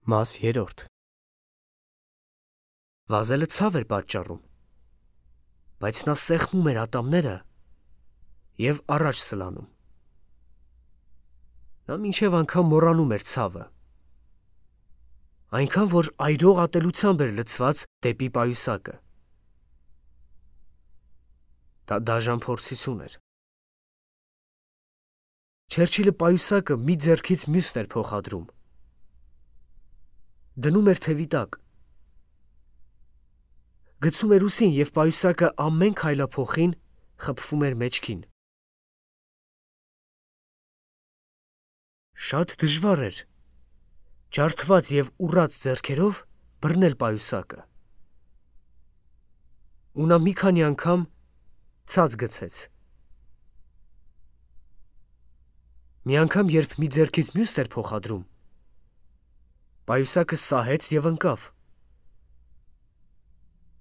Մաս 3 Վազելը ցավ էր պատճառում, բայց նա սեղմում էր ատամները և առաջ սլանում։ Նա մինչև անգամ մոռանում էր ցավը, այնքան որ այրող ատելությամբ էր լցված դեպի պայուսակը։ Դա դաժան փորձություն էր։ Չերչիլը պայուսակը մի ձեռքից մյուսն էր փոխադրում, դնում էր թևի տակ, գցում էր ուսին և պայուսակը ամեն քայլափոխին խփվում էր մեջքին։ Շատ դժվար էր ջարդված և ուռած ձեռքերով բռնել պայուսակը, ու նա մի քանի անգամ ցած գցեց։ Մի անգամ, երբ մի ձեռքից մյուսն էր փոխադրում, պայուսակը սահեց և ընկավ։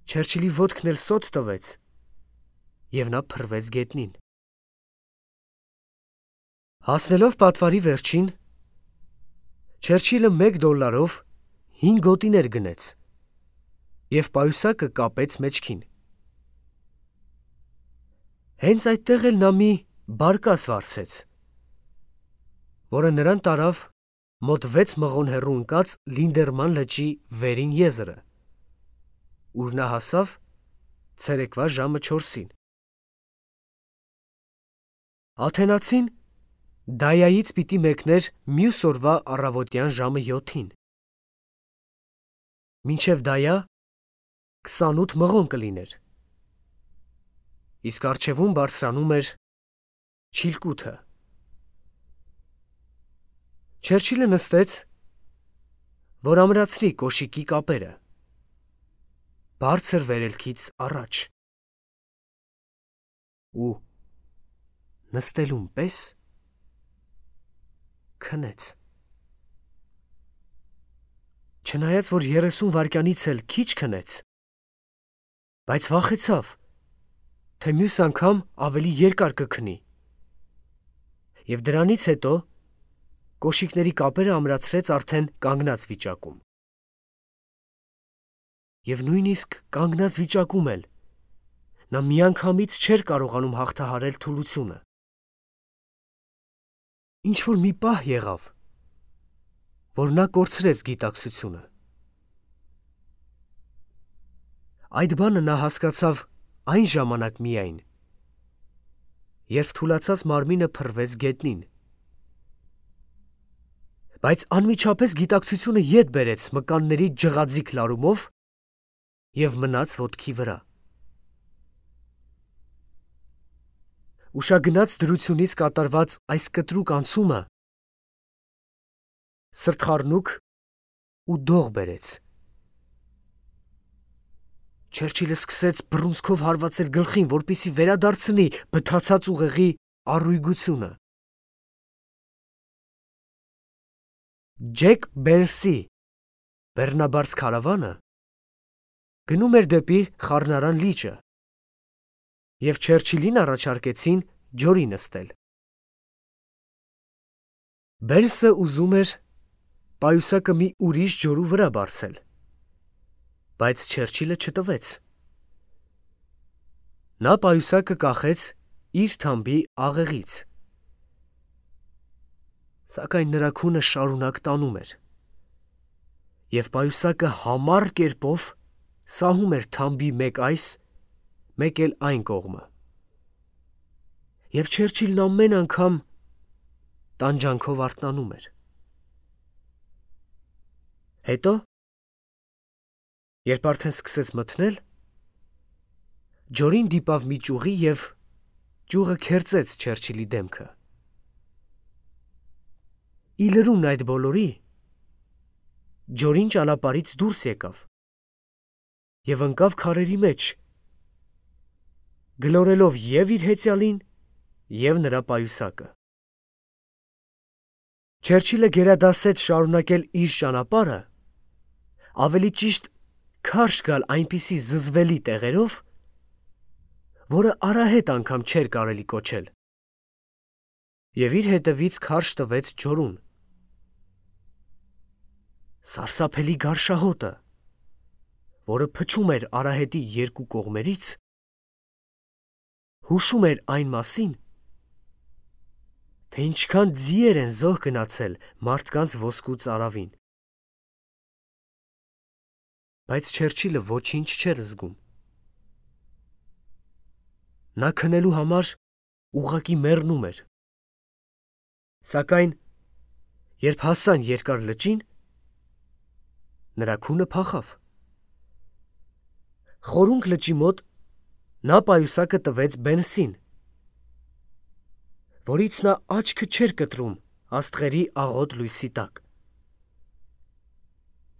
Չերչիլի ոտքն էլ սոթ տվեց, և նա փռվեց գետնին։ Հասնելով պատվարի վերջին, Չերչիլը $1 5 գոտիներ գնեց և պայուսակը կապեց մեջքին։ Հենց այդտեղ էլ նա մի բարկաս վարձեց, որը նրան տարավ մոտ 6 մղոն հեռու ընկած Լինդերման լճի վերին եզրը, ուր նա հասավ ցերեկվա ժամը 4-ին։ Աթենացին Դայայից պիտի մեկներ մյուս օրվա առավոտյան ժամը 7-ին։ Մինչև Դայա 28 մղոն կլիներ, իսկ առջևում բարձրանում էր Չիլկութը։ Չերչիլը նստեց, որ ամրացրի կոշիկի կապերը, բարձր վերելքից առաջ, ու նստելուն պես քնեց։ Չնայած որ 30 վայրկյանից էլ քիչ քնեց, բայց վախեցավ, թե մյուս անգամ ավելի երկար կքնի, և դրանից հետո կոշիկների կապերը ամրացրեց արդեն կանգնած վիճակում։ Եվ նույնիսկ կանգնած վիճակում էլ նա միանգամից չէր կարողանում հաղթահարել թուլությունը։ Ինչ-որ մի պահ եղավ, որ նա կորցրեց գիտակցությունը։ Այդ բանը նա հասկացավ այն ժամանակ միայն, երբ թուլացած մարմինը փռվեց գետնին, բայց անմիջապես գիտակցությունը ետ բերեց մկանների ջղաձիգ լարումով և մնաց ոտքի վրա։ Ուշագնաց դրությունից կատարված այս կտրուկ անցումը սրտխառնուկ ու դող բերեց։ Չերչիլը սկսեց բռունցքով հարվածել գլխին, որպեսզի վերադարձնի բթացած ուղեղի առույգությունը։ Ջեք Բերսի բեռնաբարց քարավանը գնում էր դեպի Խառնարան լիճը, և Չերչիլին առաջարկեցին ջորի նստել։ Բերսը ուզում էր պայուսակը մի ուրիշ ջորու վրա բարձել, բայց Չերչիլը չտվեց։ Նա պայուսակը կախեց իր թամբի աղեղից, սակայն նրա քունը շարունակ տանում էր, և պայուսակը համառ կերպով սահում էր թամբի մեկ այս, մեկ էլ այն կողմը, և Չերչիլն ամեն անգամ տանջանքով արթնանում էր։ Հետո, երբ արդեն սկսեց մթնել, ջորին դիպավ մի ճյուղի և ճյուղը քերծեց Չերչիլի դեմքը։ Ի լրումն այդ բոլորի, ջորին ճանապարհից դուրս եկավ և ընկավ քարերի մեջ, գլորելով և իր հեծյալին, և նրա պայուսակը։ Չերչիլը գերադասեց շարունակել իր ճանապարհը, ավելի ճիշտ քարշ գալ այնպիսի զզվելի տեղերով, որը արահետ անգամ չէր կարելի կոչել, և իր հետևից քարշ տվեց ջորուն։ Սարսափելի գարշահոտը, որը փչում էր արահետի երկու կողմերից, հուշում էր այն մասին, թե ինչքան ձիեր են զոհ գնացել մարդկանց ոսկու ծարավին։ Բայց Չերչիլը ոչինչ չէր զգում։ Նա քնելու համար ուղղակի մեռնում էր։ Սակայն, երբ հասան երկար լճին, նրա քունը փախավ։ Խորունգ լճի մոտ նա պայուսակը տվեց Բենսին, որից նա աչքը չէր կտրում աստղերի աղոտ լույսի տակ։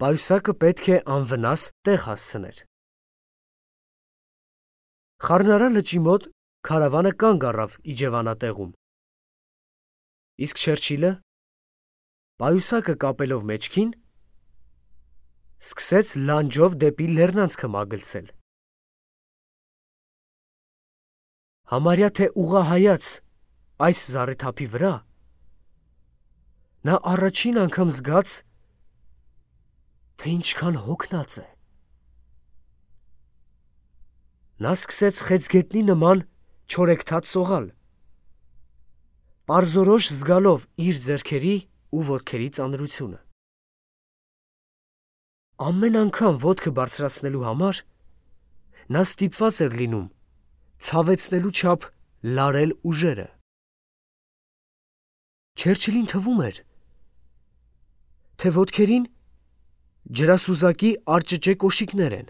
Պայուսակը պետք է անվնաս տեղ հասցներ։ Խառնարան լճի մոտ քարավանը կանգ առավ իջևանատեղում։ Իսկ Չերչիլը, պայուսակը կապելով մեջքին, սկսեց լանջով դեպի լեռնանցքը մագլցել։ Համարյա թե ուղղահայաց այս զառիթափի վրա, նա առաջին անգամ զգաց, թե ինչքան հոգնած է։ Նա սկսեց խեցգետնի նման չորեքթաթ սողալ, պարզորոշ զգալով իր ձեռքերի ու ոտքերի ծանրությունը։ Ամեն անգամ ոտքը բարձրացնելու համար նա ստիպված էր լինում ցավեցնելու չափ լարել ուժերը։ Չերչիլին թվում էր, թե ոտքերին ջրասուզակի արճճե կոշիկներ են,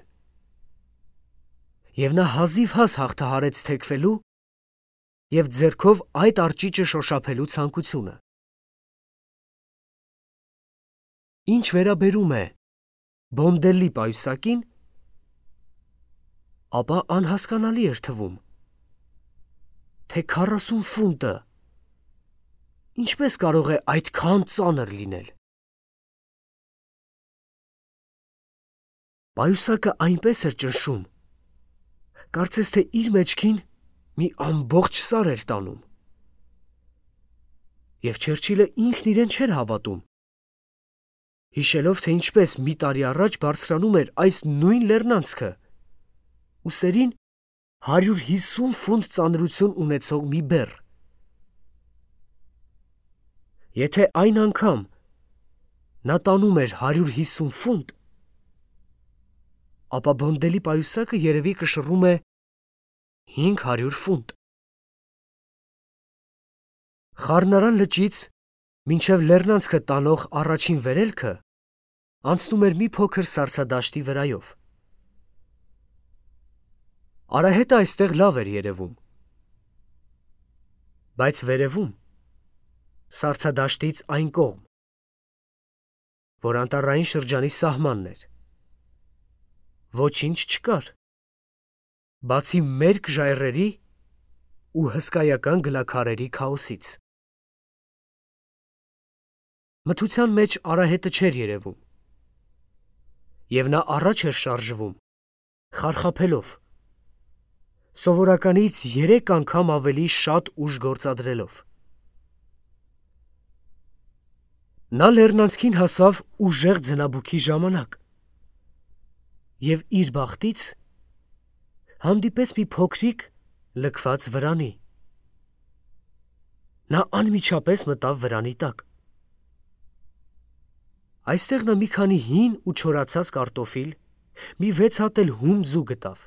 և նա հազիվհազ հաղթահարեց թեքվելու և ձեռքով այդ արճիճը շոշափելու ցանկությունը։ Ինչ վերաբերում է Բոնդելլի պայուսակին, ապա անհասկանալի էր թվում, թե 40 ֆունտը ինչպես կարող է այդքան ծանր լինել։ Պայուսակը այնպես էր ճնշում, կարծես թե իր մեջքին մի ամբողջ սար էր տանում։ Եվ Չերչիլը ինքն իրեն չէր հավատում, հիշելով, թե ինչպես մի տարի առաջ բարձրանում էր այս նույն լեռնանցքը ուսերին 150 ֆունտ ծանրություն ունեցող մի բեռ։ Եթե այն անգամ նա տանում էր 150 ֆունտ, ապա Բոնդելի պայուսակը երևի կշռում է 500 ֆունտ։ Խառնարան լճից մինչև լեռնանցքը տանող առաջին վերելքը անցնում էր մի փոքր սառցադաշտի վրայով։ Արահետը այստեղ լավ էր երևում, բայց վերևում, սառցադաշտից այն կողմ, որ անտառային շրջանի սահմանն էր, ոչինչ չկար, բացի մերկ ժայռերի ու հսկայական գլաքարերի քաոսից։ Մթության մեջ արահետը չէր երևում, և նա առաջ էր շարժվում, խարխափելով, սովորականից 3 անգամ ավելի շատ ուժ գործադրելով։ Նա լեռնանցքին հասավ ուժեղ ձնաբուքի ժամանակ և իր բախտից հանդիպեց մի փոքրիկ լքված վրանի։ Նա անմիջապես մտավ վրանի տակ։ Այստեղ նա մի քանի հին ու չորացած կարտոֆիլ, մի 6 հատ էլ հում ձու գտավ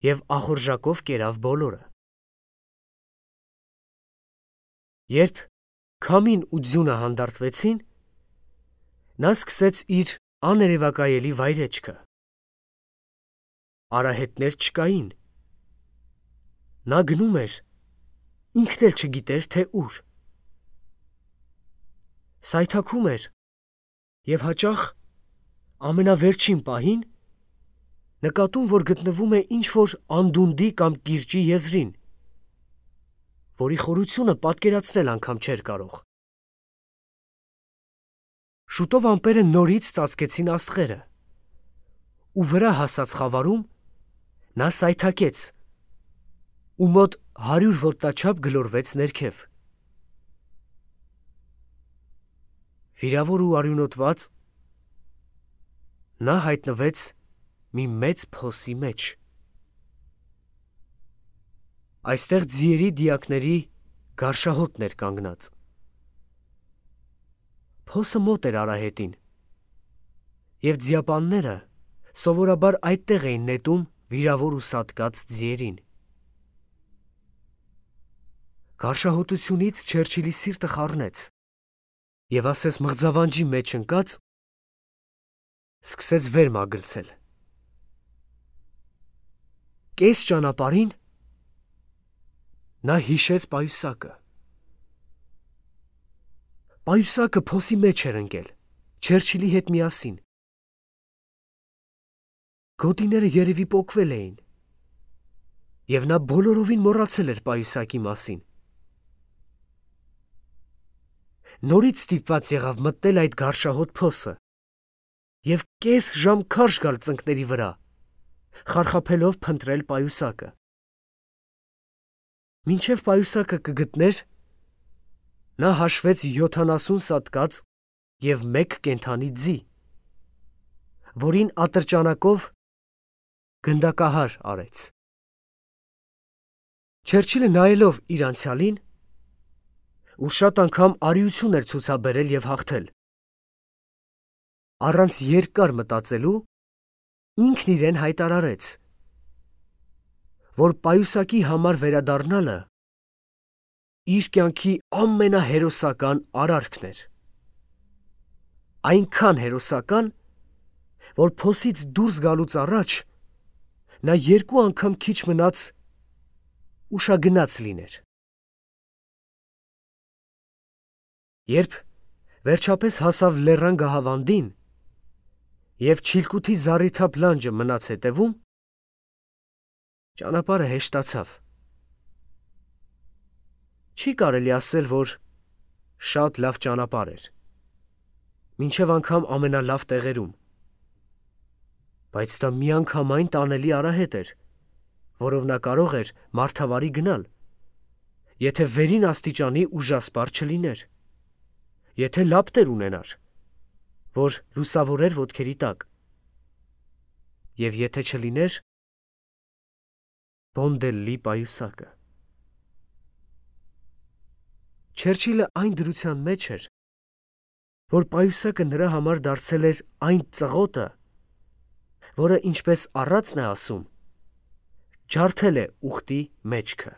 և ախորժակով կերավ բոլորը։ Երբ քամին ու ձյունը հանդարտվեցին, նա սկսեց իր աներևակայելի վայրեջքը։ Արահետներ չկային։ Նա գնում էր, ինքն էլ չգիտեր, թե ուր։ Սայթաքում էր և հաճախ ամենավերջին պահին նկատում, որ գտնվում է ինչ-որ անդունդի կամ կիրճի եզրին, որի խորությունը պատկերացնել անգամ չէր կարող։ Շուտով ամպերը նորից ծածկեցին աստղերը, ու վրա հասած խավարում նա սայթաքեց ու մոտ 100 ոտնաչափ գլորվեց ներքև։ վիրավոր ու արյունոտված, նա հայտնվեց մի մեծ փոսի մեջ։ Այստեղ ձիերի դիակների գարշահոտն էր կանգնած։ Փոսը մոտ էր արահետին, և ձիապանները սովորաբար այդտեղ էին նետում վիրավոր ու սատկած ձիերին։ Գարշահոտությունից Չերչիլի սիրտը խառնեց, և ասես մղձավանջի մեջ ընկած, սկսեց վեր մագլցել։ Կես ճանապարհին նա հիշեց պայուսակը։ Պայուսակը փոսի մեջ էր ընկել, Չերչիլի հետ միասին։ Գոտիները երևի պոկվել էին, և նա բոլորովին մոռացել էր պայուսակի մասին։ Նորից ստիպված եղավ մտնել այդ գարշահոտ փոսը և կես ժամ քարշ գալ ծնկների վրա, խարխափելով փնտրել պայուսակը։ Մինչև պայուսակը կգտներ, նա հաշվեց 70 սատկած և 1 կենդանի ձի, որին ատրճանակով գնդակահար արեց։ Չերչիլը նայելով իր անցյալին, ուր շատ անգամ արիություն էր ցուցաբերել և հաղթել, առանց երկար մտածելու, ինքն իրեն հայտարարեց, որ պայուսակի համար վերադառնալը իր կյանքի ամենահերոսական արարքն էր։ Այնքան հերոսական, որ փոսից դուրս գալուց առաջ նա 2 անգամ քիչ մնաց ուշագնաց լիներ։ Երբ վերջապես հասավ լեռան գահավանդին և չիլկութի զառիթափ լանջը մնաց հետևում, ճանապարհը հեշտացավ։ Չի կարելի ասել, որ շատ լավ ճանապարհ էր, մինչև անգամ ամենալավ տեղերում, բայց դա միանգամայն տանելի արահետ էր, որով նա կարող էր մարդավարի գնալ, եթե վերին աստիճանի ուժասպառ չլիներ, եթե լապտեր ունենար, որ լուսավորեր ոտքերի տակ, և եթե չլիներ Բոնդելլի պայուսակը։ Չերչիլը այն դրության մեջ էր, որ պայուսակը նրա համար դարձել էր այն ծղոտը, որը, ինչպես առածն է ասում, ջարդել է ուղտի մեջքը։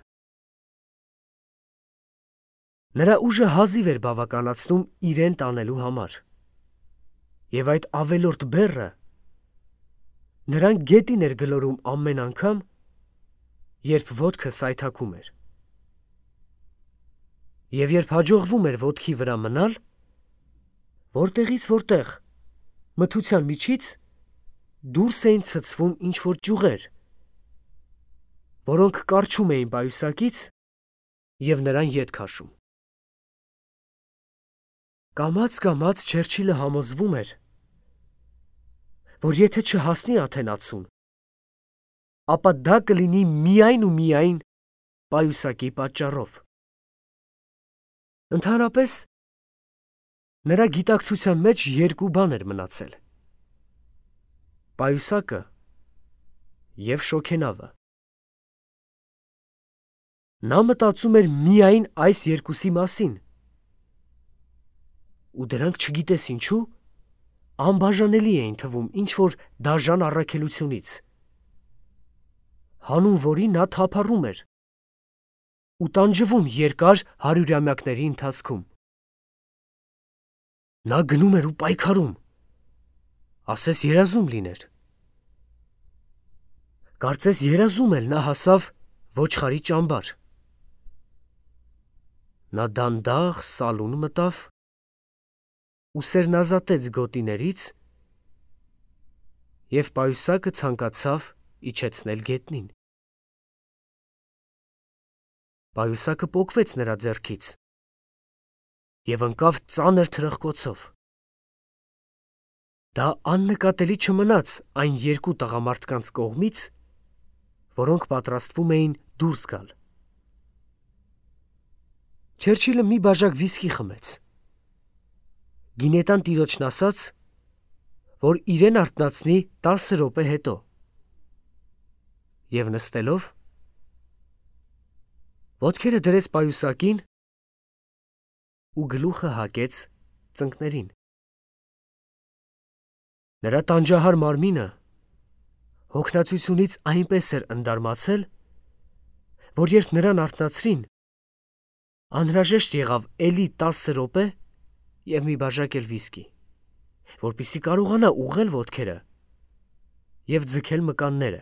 Նրա ուժը հազիվ էր բավականացնում իրեն տանելու համար, և այդ ավելորդ բեռը նրան գետին էր գլորում ամեն անգամ, երբ ոտքը սայթաքում էր։ Եվ երբ հաջողվում էր ոտքի վրա մնալ, որտեղից որտեղ, մթության միջից դուրս էին ցցվում ինչ-որ ճյուղեր, որոնք կառչում էին պայուսակից և նրան ետ քաշում։ Կամաց-կամաց Չերչիլը համոզվում էր, որ եթե չհասնի Աթենացուն, ապա դա կլինի միայն ու միայն պայուսակի պատճառով։ Ընդհանրապես, նրա գիտակցության մեջ 2 բան էր մնացել. պայուսակը և շոգենավը։ Նա մտածում էր միայն այս 2-ի մասին, ու դրանք չգիտես ինչու, անբաժանելի էին թվում ինչ-որ դաժան առաքելությունից, հանուն որի նա թափառում էր ու տանջվում երկար հարյուրամյակների ընթացքում։ Նա գնում էր ու պայքարում, ասես երազում լիներ։ Կարծես երազում էլ նա հասավ ոչխարի ճամբար։ Նա դանդաղ սալուն մտավ ու սերնազատեց գոտիներից և պայուսակը ցանկացավ իջեցնել գետնին։ Պայուսակը պոկվեց նրա ձեռքից և ընկավ ծանր թրխկոցով։ Դա աննկատելի չմնաց այն 2 տղամարդկանց կողմից, որոնք պատրաստվում էին դուրս գալ։ Չերչիլը մի բաժակ վիսկի խմեց Գինետան տիրոջն ասաց, որ իրեն արթնացնի 10 րոպե հետո։ Եվ նստելով, ոտքերը դրեց պայուսակին ու գլուխը հակեց ծնկներին։ Նրա տանջահար մարմինը հոգնածությունից այնպես էր ընդարմացել, որ երբ նրան արթնացրին, անհրաժեշտ եղավ էլի 10 րոպե և մի բաժակ էլ վիսկի, որպեսզի կարողանա ուղղել ոտքերը և ձգել մկանները։